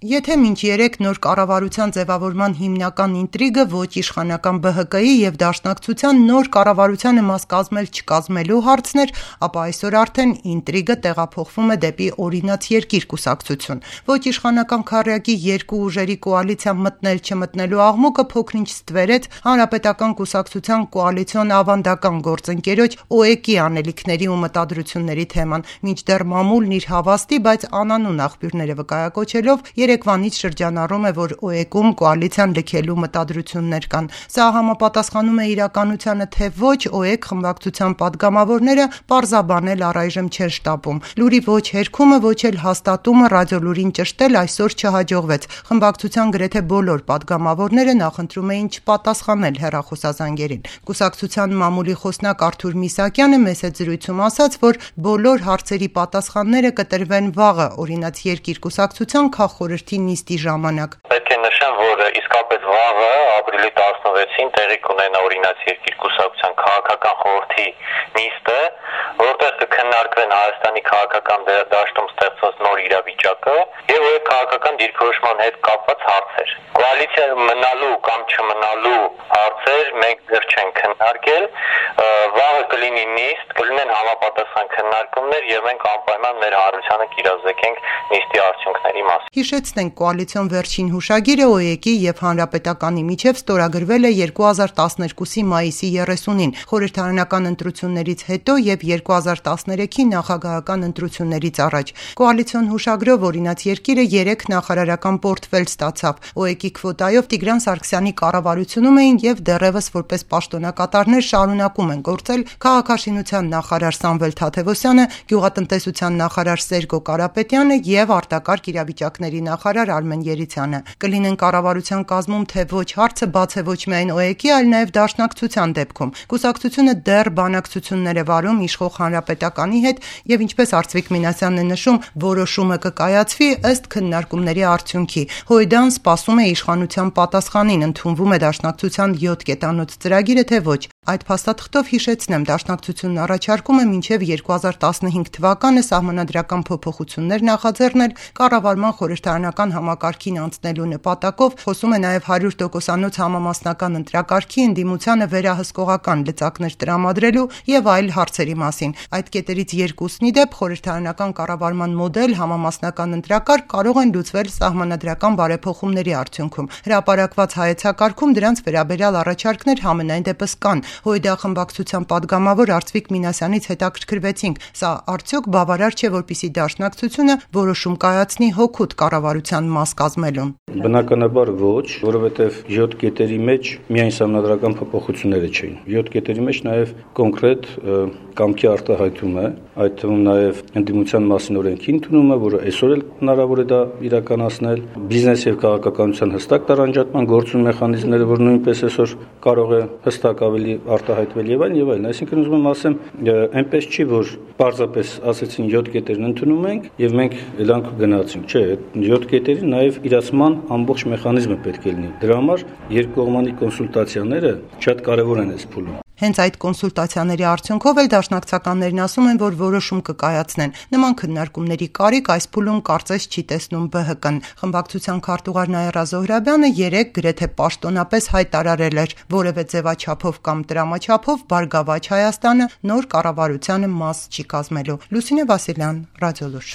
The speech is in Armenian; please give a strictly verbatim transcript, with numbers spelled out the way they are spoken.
Եթե մինչ երեք նոր կառավարության ձևավորման հիմնական ինտրիգը ոչ իշխանական Բ Հ Կ-ի և Դաշնակցության նոր կառավարությանը մաս կազմել չկազմելու հարցն էր, ապա այսօր արդեն ինտրիգը տեղափոխվում է դեպի «Օրինաց երկիր» կուսակցություն։ Ոչ իշխանական քառյակի երկու ուժերի կոալիցիա մտնել-չմտնելու աղմուկը փոքր-ինչ ստվերեց Հանրապետական կուսակցության կոալիցիոն ավանդական գործընկերոջ Օ Է Կ-ի անելիքների ու մտադրությունների թեման, մինչդեռ մամուլն իր հավաստի, բայց անանուն աղբյուրները վկայակոչելով երեկվանից շրջանառում է, որ Օ Է Կ-ում կոալիցիան լքելու մտադրություններ կան։ Սա համապատասխանում է իրականությանը, թե ոչ, Օ Է Կ խմբակցության պատգամավորները պարզաբանել առայժմ չեն շտապում։ Լուրի ոչ հերքումը, ոչ էլ հաստատումը ռադիոլուրին ճշտել այսօր չհաջողվեց։ Խմբակցության գրեթե բոլոր պատգամավորները նախընտրում էին չպատասխանել հեռախոսազանգերին։ Կուսակցության մամուլի խոսնակ Արթուր Միսակյանը մեծ զրույցում ասաց, որ բոլոր հարցերի պատասխանները կտրվեն վաղը Օրինաց երկիր կուսակցության քաղխորհրդի նիստի ժամանակ։ Պետք է նշեմ, որ իսկապես վաղը ապրիլի տասնվեցին տեղի կունենա Օրինաց երկիր կուսակցության քաղաքական խորհրդի նիստը, որտեղ կքննարկվեն Հայաստանի քաղաքական դաշտում ստեղծված նոր իրավիճակը եւ այդ քաղաքական դիրքորոշման հետ կապված հարցեր։ Կոալիցիա մնալու կամ չմնալու հարցեր մենք դեռ չենք քննարկել։ Վաղը կլինի նիստ, կլինեն համապատասխան քննարկումներ եւ մենք անպայման մեր հանրությանը կիրազեկենք նիստի արդյունքների մասին։ Հիշեցնենք, կոալիցիոն վերջին հուշագիրը Օ Է Կ-ի եւ Հանրապետականի միջև ստորագրվել է երկու հազար տասներկուսի մայիսի երեսունին, խորհրդարանական ընտրություններից հետո եւ երկու հազար տասներեքի նախագահական ընտրություններից առաջ։ Կոալիցիոն հուշագրով Օրինաց երկիրը երեք նախարարական պորտֆել ստացավ։ Օ Է Կ-ի քվոտայով Տիգրան Սարգսյանի կառավարությունում էին եւ դեռևս որպես պաշտոնակատարներ շարունակում են գործել քաղաքաշինության նախարար Սամվել Թադևոսյանը, գյուղատնտեսության նախարար Սերգո Կարապետյանը եւ արտակարգ իրավիճակների նախարար Արմեն Երիցյանը։ Կլինեն կառավարության կազմում թե ոչ հարցը բաց է ոչ միայն Օ Է Կ-ի, այլ նաեւ Դաշնակցության դեպքում։ Կուսակցությունը դեռ բանակցություններ է վարում իշխող Հանրապետականի հետ եւ ինչպես Արծվիկ Մինասյանն է նշում, որոշումը կկայացվի ըստ քննարկումների արդյունքի։ Հոյդան սպասում է իշխանության պատասխանին, ընդունվում է Դաշնակցության յոթ կետանոց ծրագիրը թե ոչ։ Այդ փաստաթղթով հիշեցնեմ, Դաշնակցությունն առաջարկում է մինչև երկու հազար տասնհինգ թվականը սահմանադրական փոփոխություններ նախաձեռնել կառավարման խորհրդարանական համակարգին անցնելու նպատակով, խոսում է նաև հարյուր տոկոսանոց համամասնական ընտրակարգի ընդդիմությանը վերահսկողական լծակներ տրամադրելու եւ այլ հարցերի մասին։ Այդ կետերից երկուսն ի դեպ խորհրդարանական կառավարման մոդել, համամասնական ընտրակարգ կարող են լուծվել սահմանադրական բարեփոխումների արդյունքում։ Հրապարակված հայեցակարգում դրանց վերաբերյալ առաջարկներ համենայն դեպս կան։ Հոյդա խմբակցության падգամավոր Արծվիկ Մինասյանից հետաքրքրվեցինք, սա արդյոք բավարար չէ, որպեսզի Դաշնակցությունը որոշում կայացնի հօգուտ կառավարության մաս կազմելուն։ Բնականաբար ոչ, որովհետև յոթ կետերի մեջ միայն սահմանադրական փոփոխությունները չէին։ յոթ կետերի մեջ նաև կոնկրետ կամքի արտահայտում է, այդ թվում նաև ընդդիմության մասին օրենքի ընդունումը, որը այսօր էլ հնարավոր է դա իրականացնել, բիզնես եւ քաղաքականության հստակ տարանջատման գործուն մեխանիզմները, որ նույնպես այսօր կարող է հստակ ավելի արտահայտվել եւ այլն եւ այլն։ Այսինքն ուզում եմ ասեմ, այնպես չի, որ պարզապես ասեցին յոթ կետերն ընդունում ենք եւ մենք ելանք գնացինք։ Չէ, յոթ կետերի նաեւ իրացման ամբողջ մեխանիզմը պետք է լինի։ Դրա համար երկկողմանի կոնսուլտացիաները շատ կարեւոր են այս փուլում։ Հենց այդ կոնսուլտացիաների արդյունքով էլ դաշնակցականներն ասում են, որ որոշում կկայացնեն։ Նման քննարկումների կարիք այս փուլում կարծես չի տեսնում Բ Հ Կն։ Խմբակցության քարտուղար Նաիրա Զոհրաբյանը երեկ գրեթե պաշտոնապես հայտարարել էր, որևէ ձևաչափով կամ տրամաչափով Բարգավաճ Հայաստանը նոր կառավարությանը մաս չի կազմելու։ Լուսինե Վասիլյան, Ռադիոլուր։